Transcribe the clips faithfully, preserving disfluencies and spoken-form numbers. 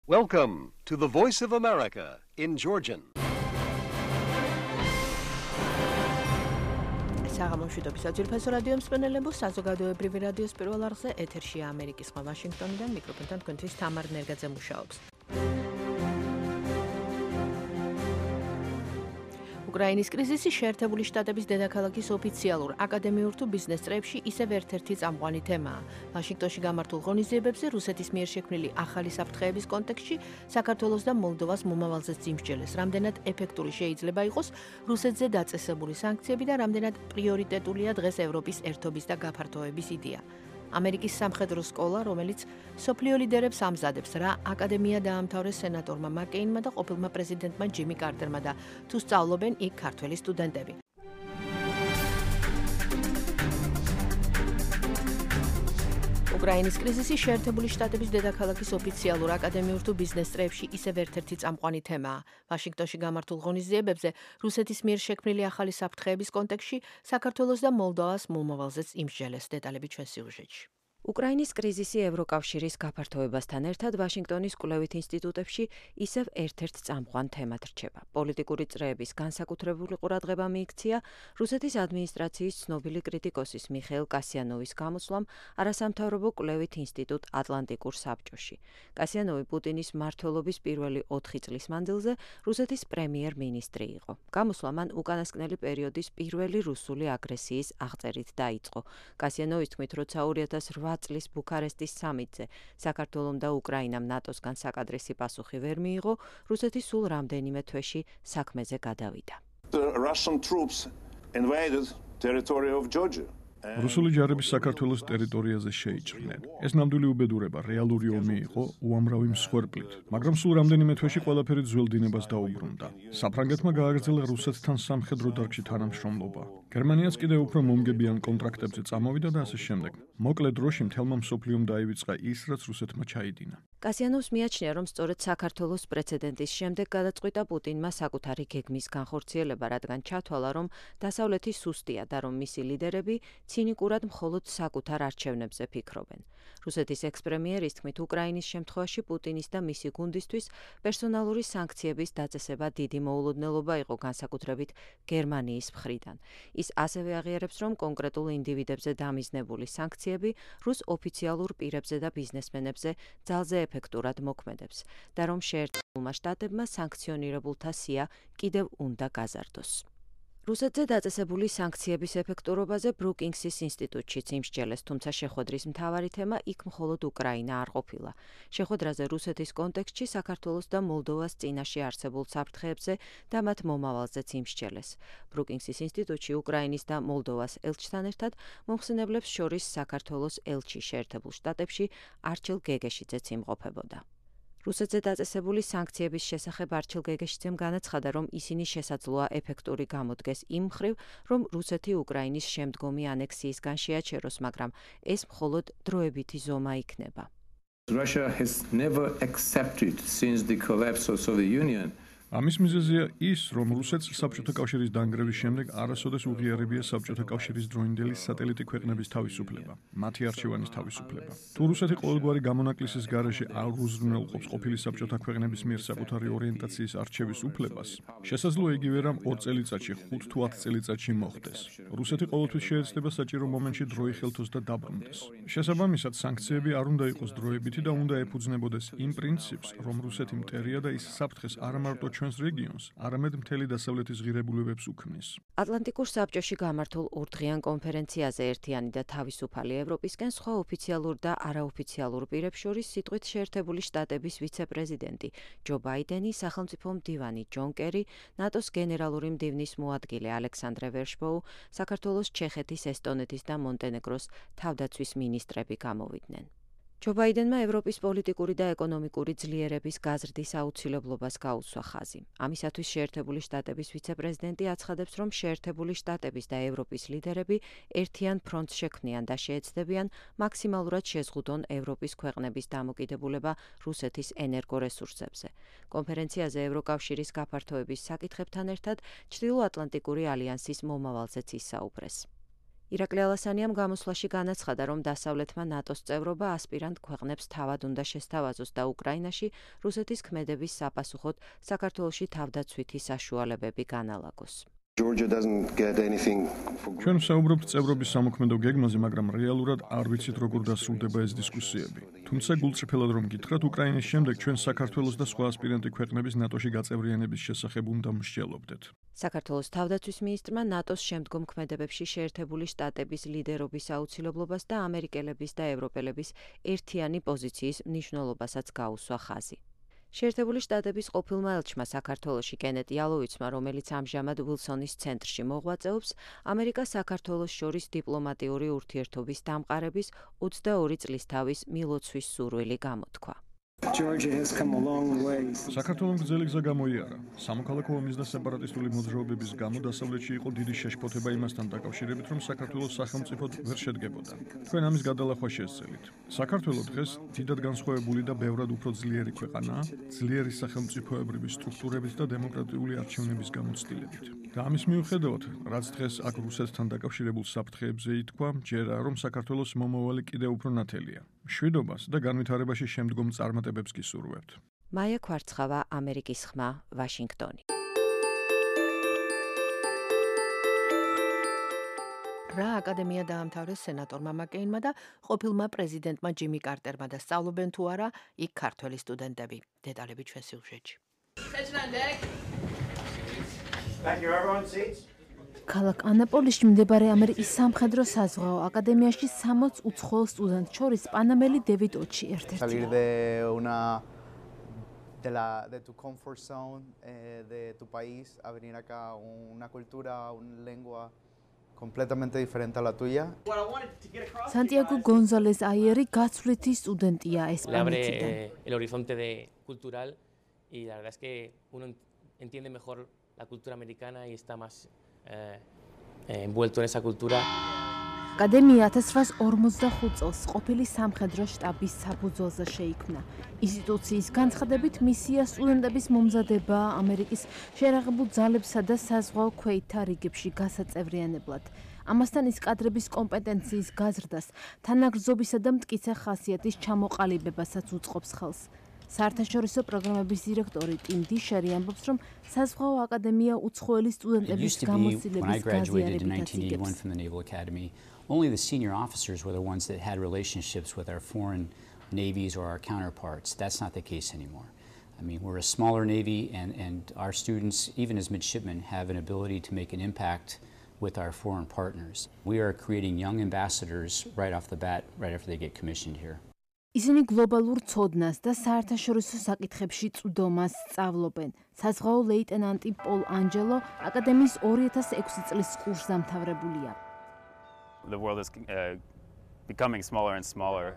Welcome to the Voice of America in Georgian. საღამოშვიდობის აძვირფასო რადიო მსმენელებო, საზოგადოებრივი რადიოს პირველ არხზე ეთერშია ამერიკის ხმა ვაშინგტონიდან, მიკროფონთან თქვენთვის თამარ ნერგაძე მუშაობს. უკრაინის კრიზისი შეერთებული შტატების დედაქალაქის ოფიციალურ აკადემიურ თუ ბიზნეს წრეებში ისევ ერთ-ერთი წამყვანი თემაა. ვაშინგტონში გამართულ ღონისძიებებზე რუსეთის მიერ შექმნილი ახალი საფრთხეების კონტექსტში საქართველოს და მოლდოვას მომავალზეც იმსჯელეს, რამდენად ეფექტური შეიძლება იყოს რუსეთზე დაწესებული სანქციები და რამდენად პრიორიტეტულია დღეს ევროპის ერთობის და გაფართოების იდეა. ამერიკის სამხედრო სკოლა, რომელიც სოფლიო ლიდერებს ამზადებს, რა აკადემია დაამთავრეს სენატორმა მაკეინმა და ყოფილმა პრეზიდენტმა ჯიმი კარტერმა და თუ სწავლობენ იქ ქართველი სტუდენტები. უკრაინის კრიზისი შეერთებული შტატების დედაქალაქის ოფიციალურ აკადემიურ თუ ბიზნეს წრეებში ისევ ერთ-ერთი წამყვანი თემაა. ვაშინგტონში გამართულ ღონისძიებებზე რუსეთის მიერ შექმნილი ახალი საფრთხეების კონტექსტში საქართველოს და მოლდოვას მომავალზეც იმსჯელეს. დეტალები ჩვენ სიუჟეტში. უკრაინის კრიზისი ევროკავშირის გაფართოებასთან ერთად ვაშინგტონის კვლევით ინსტიტუტებში ისევ ერთ-ერთ წამყვან თემად რჩება. პოლიტიკური წრეების განსაკუთრებული ყურადღება მიიქცია რუსეთის ადმინისტრაციის ცნობილი კრიტიკოსის მიხეილ კასიანოვის გამოსვლამ არასამთავრობო კვლევით ინსტიტუტ ატლანტიკურ საბჭოში. კასიანოვი პუტინის მმართველობის პირველი ოთხი წლის მანძილზე რუსეთის პრემიერ-მინისტრი იყო. გამოსვლა მან უკანასკნელი პერიოდის პირველი რუსული აგრესიის აღწერით დაიწყო. კასიანოვის თქმით, როცა ორი ათას რვა წლის ბუქარესტის სამიტზე საქართველომ და უკრაინამ ნატოსგან საკადრისი პასუხი ვერ მიიღო, რუსეთი სულ რამდენიმე თვეში საქმეზე გადავიდა. რუსული ჯარები საქართველოს ტერიტორიაზე შეიჭრნენ. ეს ნამდვილი უბედურება, რეალური ომი იყო უამრავი მსხვერპლით, მაგრამ სულ რამდენიმე თვეში ყველაფერი ძველ დინებას დაუბრუნდა. საფრანგეთმა გააგრძელა რუსეთთან სამხედრო დარგში თანამშრომლობა. გერმანიაც კიდევ უფრო მომგებიან კონტრაქტებზე წამოვიდა და ასე შემდეგ. მოკლე დროში მთელმა მსოფლიომ დაივიწყა ის, რაც რუსეთმა ჩაიდინა. კასიანოვს მიაჩნია, რომ სწორედ საქართველოს პრეცედენტის შემდეგ გადაწყვიტა პუტინმა საკუთარი გეგმის განხორციელება, რადგან ჩათვალა, რომ დასავლეთი სუსტია და რომ მისი ლიდერები ცინიკურად მხოლოდ საკუთარ არჩევნებზე ფიქრობენ. რუსეთის ექს-პრემიერის თქმით, უკრაინის შემთხვევაში პუტინის და მისი გუნდისთვის პერსონალური სანქციების დაწესება დიდი მოულოდნელობა იყო, განსაკუთრებით გერმანიის მხრიდან. ის ასევე აღიარებს, რომ კონკრეტულ ინდივიდებზე დამიზნებული სანქციები რუს ოფიციალურ პირებზე და ბიზნესმენებზე ძალზე ეფექტურად მოქმედებს და რომ შეერთებულმა შტატებმა სანქციონირებულთა სია კიდევ უნდა გაზარდოს. რუსეთზე დაწესებული სანქციების ეფექტურობაზე ბრუკინგსის ინსტიტუტშიც იმსჯელეს, თუმცა შეხვედრის მთავარი თემა იქ მხოლოდ უკრაინა არ ყოფილა. შეხვედრაზე რუსეთის კონტექსტში საქართველოს და მოლდოვას წინაშე არსებულ საფრთხეებზე და მათ მომავალზეც იმსჯელეს. ბრუკინგსის ინსტიტუტში უკრაინის და მოლდოვას ელჩთან ერთად მომხსენებლებს შორის საქართველოს ელჩი შეერთებულ შტატებში არჩილ გეგეშიძეც იმყოფებოდა. რუსეთზე დაწესებული სანქციების შესახებ არჩილ გეგეშიძემ განაცხადა, რომ ისინი შესაძლოა ეფექტური გამოდგეს იმ მხრივ, რომ რუსეთი უკრაინის შემდგომი ანექსიისგან შეაჩეროს, მაგრამ ეს მხოლოდ დროებითი ზომა იქნება. Russia has never accepted since the collapse of Soviet Union. ამის მიზეზია ის, რომ რუსეთს საბჭოთა კავშირის დანგრევის შემდეგ არასოდეს უღიარებია საბჭოთა კავშირის დროინდელი სატელიტი ქვეყნების თავისუფლება, მათი არჩევანის თავისუფლება. თუ რუსეთი ყოველგვარი გამონაკლისის გარეშე არ უზრუნველყოფს ყოფილი საბჭოთა ქვეყნების მიერ საკუთარი ორიენტაციის არჩევის უფლებას, შესაძლოა იგივე რამ ორ წელიწადში, ხუთ თუ ათ წელიწადში მოხდეს. რუსეთი ყოველთვის შეეცდება საჭირო მომენტში დრო იხელთოს და დაბრუნდეს. შესაბამისად, სანქციები არ უნდა იყოს დროებითი და უნდა ეფუძნებოდეს იმ პრინციპს, რომ რუსეთი მტერია და ის საფრთხეს არა მარტო ჩვენს რეგიონს, არამედ მთელი დასავლეთის ღირებულებებს უქმნის. ატლანტიკურ საბჭოში გამართულ ორდღიან კონფერენციაზე ერთიანი და თავისუფალი ევროპისკენ სხვა ოფიციალურ და არაოფიციალურ პირებს შორის სიტყვით შეერთებული შტატების ვიცე-პრეზიდენტი ჯო ბაიდენი, სახელმწიფო მდივანი ჯონ კერი, ნატოს გენერალური მდივნის მოადგილე ალექსანდრე ვერშბოუ, საქართველოს, ჩეხეთის, ესტონეთის და მონტენეგროს თავდაცვის მინისტრები გამოვიდნენ. ჯო ბაიდენმა ევროპის პოლიტიკური და ეკონომიკური ძლიერების გაზრდის აუცილებლობას გაუცვა ხაზი. ამისათვის შეერთებული შტატების ვიცე-პრეზიდენტი აცხადებს, რომ შეერთებული შტატების და ევროპის ლიდერები ერთიან ფრონტს შექმნიან და შეეცდებიან მაქსიმალურად შეზღუდონ ევროპის ქვეყნების დამოკიდებულება რუსეთის ენერგორესურსებზე. კონფერენციაზე ევროკავშირის გაფართოების საკითხებთან ერთად ჩრდილოატლანტიკური ალიანსის მომავალზეც ისაუბრეს. ირაკლი ალასანიამ გამოსვლაში განაცხადა, რომ დასავლეთმა ნატოს წევრობა ასპირანტ ქვეყნებს თავად უნდა შესთავაზოს და უკრაინაში რუსეთის ქმედების საპასუხოდ საქართველოში თავდაცვითი საშუალებები განალაგოს. ჩვენ ვსაუბრობთ წევრობის სამოქმედო გეგმაზე, მაგრამ რეალურად არ ვიცით, როგორ დასრულდება ეს დისკუსიები. თუმცა გულწრფელად რომ გითხრათ, უკრაინის შემდეგ ჩვენ საქართველოს და სხვა ასპირანტი ქვეყნების ნატოში გაწევრიანების შესახებ უნდა მსჯელობდეთ. საქართველოს თავდაცვის მინისტრმა ნატოს შემდგომ ქმედებებში შეერთებული შტატების ლიდერობის აუცილებლობას და ამერიკელების და ევროპელების ერთიანი პოზიციის მნიშვნელობასაც გაუსვა ხაზი. შეერთებული შტატების ყოფილმა ელჩმა საქართველოში კენეტ იალოვიცმა, რომელიც ამჟამად ვილსონის ცენტრში მოღვაწეობს, ამერიკას საქართველოს შორის დიპლომატიური ურთიერთობის დამყარების ოცდაორი წლის თავის მილოცვის სურვილი გამოთქვა. საქართველოს გრძელი გზა გამოიარა. სამოქალაქო ომის და სეპარატისტული მოძრაობების გამო დასავლეთში იყო დიდი შეშფოთება იმასთან დაკავშირებით, რომ საქართველოს სახელმწიფოდ ვერ შედგებოდა. ჩვენ ამის გადალახვა შესწელით. საქართველოს დღეს დიდად განსხვავებული და ბევრად უფრო ძლიერი ქვეყანაა, ძლიერი სახელმწიფოებრივი სტრუქტურებით და დემოკრატიული არჩევნების გამოცდილებით. და ამის მიუხედავად, რაც დღეს აქ რუსეთთან დაკავშირებულ საფრთხეებზე ითქვა, ჯერა რომ საქართველოს მომავალი კიდევ უფრო ნათელია. მშვიდობას და განვითარებაში შემდგომ წარმატებებს გისურვებთ. მაია ქვარცხავა, ამერიკის ხმა, ვაშინგტონი. რა აკადემია დაამთავრეს სენატორმა მაკეინმა და ყოფილმა პრეზიდენტმა ჯიმი კარტერმა და სწავლობენ თუ არა იქ ქართველი სტუდენტები. დეტალები ჩვენ სიუჟეტში. ქალაქ ანაპოლისში მდებარე ამერიკის სამხედრო საზღვაო აკადემიაში სამოც უცხოელ სტუდენტს შორის პანამელი დევიდ ოჩი ერთ-ერთია. De, la, de tu comfort zone, eh, de tu país, a venir acá una cultura, una lengua completamente diferente a la tuya. Santiago González Ayeri გაცვლითი სტუდენტია Le abre ესპანეთიდან. eh, el horizonte de cultural y la verdad es que uno entiende mejor la cultura americana y está más eh, eh, envuelto en esa cultura. აკადემია ათას ცხრაას ორმოცდახუთ წელს ყოფილი სამხედრო შტაბის საფუძველზე შეიქმნა. ინსტიტუციის განცხადებით მისია სტუდენტების მომზადება ამერიკის შერაღებულ ძალებსა და საზღვაო ქვეითთა რიგებში გასაწევრიანებლად. ამასთან ის კადრების კომპეტენციის გაზრდას, თანაგრძნობისა და მტკიცე ხასიათის ჩამოყალიბებასაც უწყობს ხელს. საერთაშორისო პროგრამების დირექტორი ტიმ დიშერი ამბობს, რომ საზღვაო აკადემია უცხოელი სტუდენტების გამოცდილების გაზიარებითაც იგებს. Only the senior officers were the ones that had relationships with our foreign navies or our counterparts. That's not the case anymore. I mean, we're a smaller navy, and, and our students, even as midshipmen, have an ability to make an impact with our foreign partners. We are creating young ambassadors right off the bat, right after they get commissioned here. ისინი გლობალურ ცოდნას და საერთაშორისო საკითხებში წვდომას სწავლობენ. საზღვაო ლეიტენანტი პოლ ანჯელო აკადემიის ორი ათას ექვსი წლის კურსს დამთავრებულია. The world is uh, becoming smaller and smaller.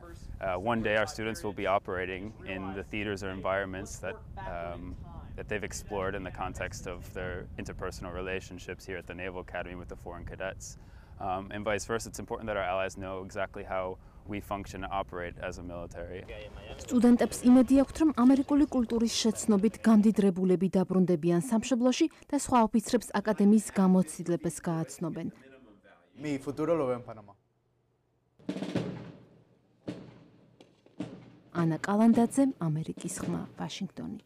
Uh, one day our students will be operating in the theaters or environments that, um, that they've explored in the context of their interpersonal relationships here at the Naval Academy with the foreign cadets. Um, and vice versa, it's important that our allies know exactly how we function and operate as a military. სტუდენტებს იმედი აქვთ, რომ ამერიკული კულტურის შეცნობით გამდიდრებულები დაბრუნდებიან სამშობლოში და სხვა ოფიცრებს აკადემიის გამოცდილებას გააცნობენ. Mi futuro lo veo en Panamá. ანა კალანდაძე, ამერიკის ხმა, ვაშინგტონი.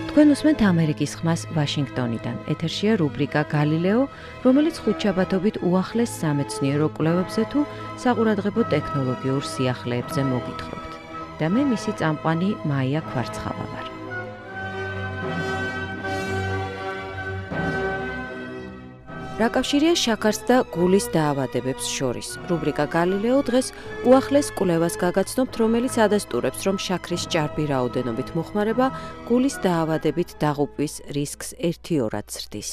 თქვენ უსმენთ ამერიკის ხმას ვაშინგტონიდან. ეთერშია რუბრიკა გალილეო, რომელიც ხუთშაბათობით უახლეს სამეცნიერო კვლევებზე თუ საყურადღებო ტექნოლოგიურ სიახლეებზე მოგითხრობთ. და მე მისი წამყვანი მაია ქვარცხავა ვარ. რა კავშირია შაქარს და გულის დაავადებებს შორის? რუბრიკა გალილეო დღეს უახლეს კვლევას გაგაცნობთ, რომელიც ადასტურებს, რომ შაქრის ჭარბი რაოდენობით მოხმარება გულის დაავადებით დაღუპვის რისკს ერთიორად ზრდის.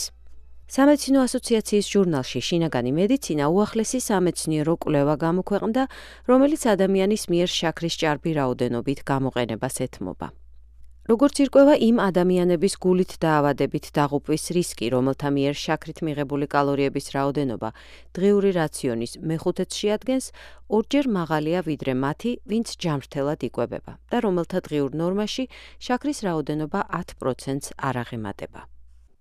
სამეცნიერო ასოციაციის ჟურნალში შინაგანი მედიცინა უახლესი სამეცნიერო კვლევა გამოქვეყნდა, რომელიც ადამიანის მიერ შაქრის ჭარბი რაოდენობით გამოყენებას ეთმობა. როგორც ირკვევა იმ ადამიანების გულით დაავადებით დაღუპვის რისკი, რომელთა მიერ შაქრით მიღებული კალორიების რაოდენობა დღიური რაციონის მეხუთედს შეადგენს, ორჯერ მაღალია ვიდრე მათი, ვინც ჯამრთელად იკვებება და რომელთა დღიურ ნორმაში შაქრის რაოდენობა ათ პროცენტს არ აღემატება.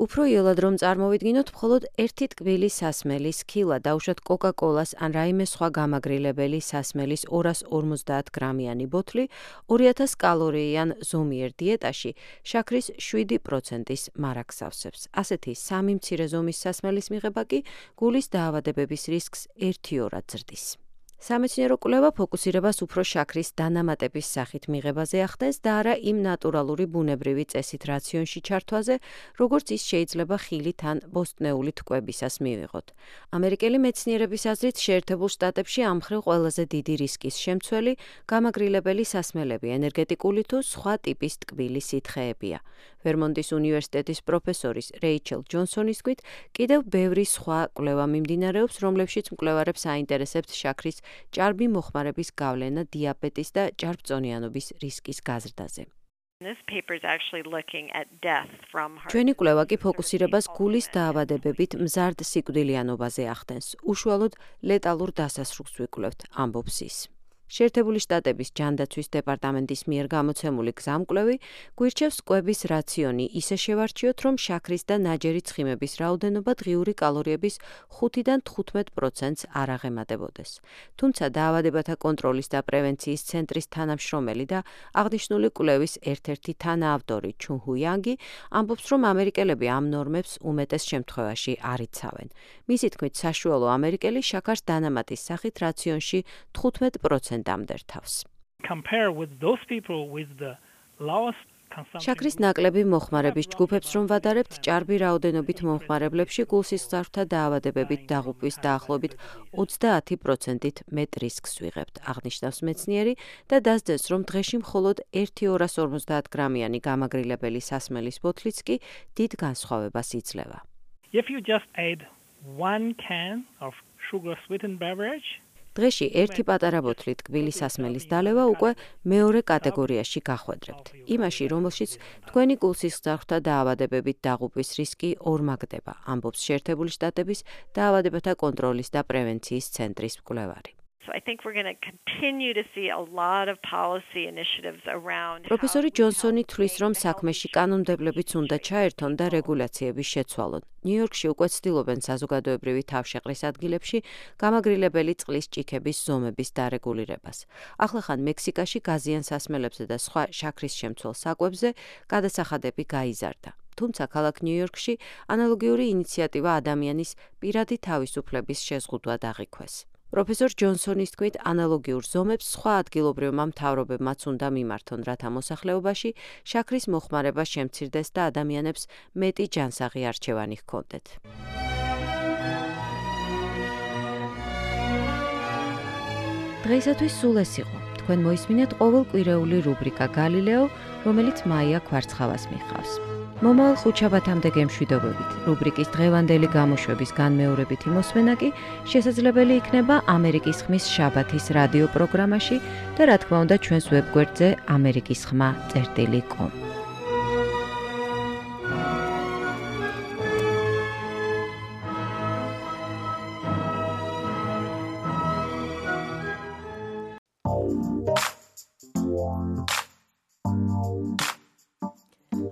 უფრო იოლად რომ წარმოვიდგინოთ, მხოლოდ ერთი ტკბილი სასმელის ქილა, დაუშვათ კოკა-კოლას ან რაიმე სხვა გამაგრილებელი სასმელის ორას ორმოცდაათ გრამიანი ბოთლი, ორი ათას კალორიიან ზომიერ დიეტაში შაქრის შვიდი პროცენტის მარაგს ავსებს. ასეთი სამი მცირე ზომის სასმელის მიღება კი გულის დაავადებების რისკს ერთიორად ზრდის. სამეცნიერო კვლევა ფოკუსირებას უფრო შაქრის დანამატების სახით მიღებაზე ახდენს და არა იმ ნატურალური ბუნებრივი წესით რაციონში ჩართვაზე, როგორც ის შეიძლება ხილით ან ბოსტნეულით კვებისას მივიღოთ. ამერიკელი მეცნიერების აზრით, შეერთებულ შტატებში ამ მხრივ ყველაზე დიდი რისკის შემცველი გამაგრილებელი სასმელები, ენერგეტიკული თუ სხვა ტიპის ტკბილი სითხეებია. ვერმონტის უნივერსიტეტის პროფესორის რეიჩელ ჯონსონის თქმით, კიდევ ბევრი სხვა კვლევა მიმდინარეობს, რომლებშიც მკვლევარებს აინტერესებთ შაქრის ჭარბი მოხმარების გავლენა დიაბეტის და ჭარბწონიანობის რისკის გაზრდაზე. ჩვენი კვლევა კი ფოკუსირებას გულის დაავადებებით მზარდ სიკვდილიანობაზე ახდენს. უშუალოდ ლეტალურ დასასრულს ვიკვლევთ, ამბობს ის. შეერთებული შტატების ჯანდაცვის დეპარტამენტის მიერ გამოცემული გზამკვლევი გვირჩევს კვების რაციონი ისე შევარჩიოთ, რომ შაქრის და ნაჯერი ცხიმების რაოდენობა დღიური კალორიების ხუთიდან თხუთმეტ პროცენტს არ აღემატებოდეს. თუმცა დაავადებათა კონტროლის და პრევენციის ცენტრის თანამშრომელი და აღნიშნული კვლევის ერთ-ერთი თანაავტორი ჩუნ ჰუ იანგი ამბობს, რომ ამერიკელები ამ ნორმებს უმეტეს შემთხვევაში არ იცავენ. მისი თქმით, საშუალო ამერიკელი შაქარს დანამატის სახით რაციონში თხუთმეტ პროცენტს შაქრის ნაკლები მოხმარების ჯგუფებს რომ ვადარებთ, ჭარბი რაოდენობით მომხმარებლებში გულსისხლძარღვთა დაავადებებით დაღუპვის დაახლოებით ოცდაათი პროცენტით მეტ რისკს ვიღებთ, აღნიშნავს მეცნიერი და დასძენს, რომ დღეში მხოლოდ ერთი ორას ორმოცდაათ გრამიანი გამაგრილებელი სასმელის ბოთლიც კი დიდ განსხვავებას იძლევა. დღეში ერთი პატარა ბოთლი ტკბილი სასმელის დალევა უკვე მეორე კატეგორიაში გახვედრებთ. იმაში, რომელშიც თქვენი გულსისხლძარღვთა დაავადებებით დაღუპვის რისკი ორმაგდება, ამბობს შეერთებული შტატების დაავადებათა კონტროლის და პრევენციის ცენტრის მკვლევარი. პროფესორი ჯონსონი თვლის, რომ საქმეში კანონმდებლებიც უნდა ჩაერთონ და რეგულაციების შეცვალონ. ნიუ-იორკში უკვე ცდილობენ საზოგადოებრივი თავშეყრის ადგილებში გამაგრილებელი წყლის ჭიქების ზომების დარეგულირებას. ახლახან მექსიკაში გაზიან სასმელებზე და სხვა შაქრის შემცველ საკვებზე გადასახადები გაიზარდა. თუმცა ქალაქ ნიუ-იორკში ანალოგიური ინიციატივა ადამიანის პირადი თავისუფლების შეზღუდვად აღიქვეს. პროფესორ ჯონსონის თქმით, ანალოგიურ ზომებს სხვა ადგილობრივმა მთავრობებმაც უნდა მიმართონ, რათა მოსახლეობაში შაქრის მოხმარება შემცირდეს და ადამიანებს მეტი ჯანსაღი არჩევანი ჰქონდეთ. დღეისათვის სულ ეს იყო. თქვენ მოისმინეთ ყოველკვირეული რუბრიკა გალილეო, რომელიც მაია კვარცხავას მიჰყავს. მომავალ ხუთშაბათამდე გემშვიდობებით. რუბრიკის დღევანდელი გამოშვების განმეორებითი მოსმენა კი შესაძლებელი იქნება ამერიკის ხმის შაბათის რადიო პროგრამაში და რა თქმა უნდა ჩვენს ვებგვერდზე ამერიკის ხმა წერტილი კომ.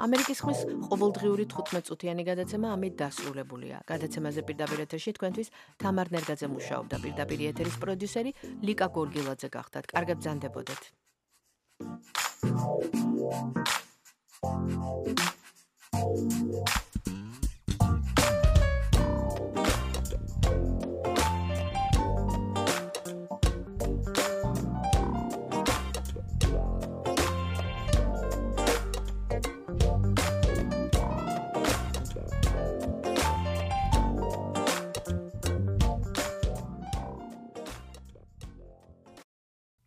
ამერიკის ხმის ყოველდღიური თხუთმეტ-წუთიანი გადაცემა ამით დასრულებულია. გადაცემაზე პირდაპირ ეთერში თქვენთვის თამარ ნერგაძე მუშაობდა, პირდაპირ ეთერის პროდიუსერი ლიკა გორგილაძე გახდათ. კარგად ბრძანდებოდეთ.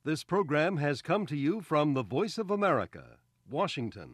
This program has come to you from the Voice of America, Washington.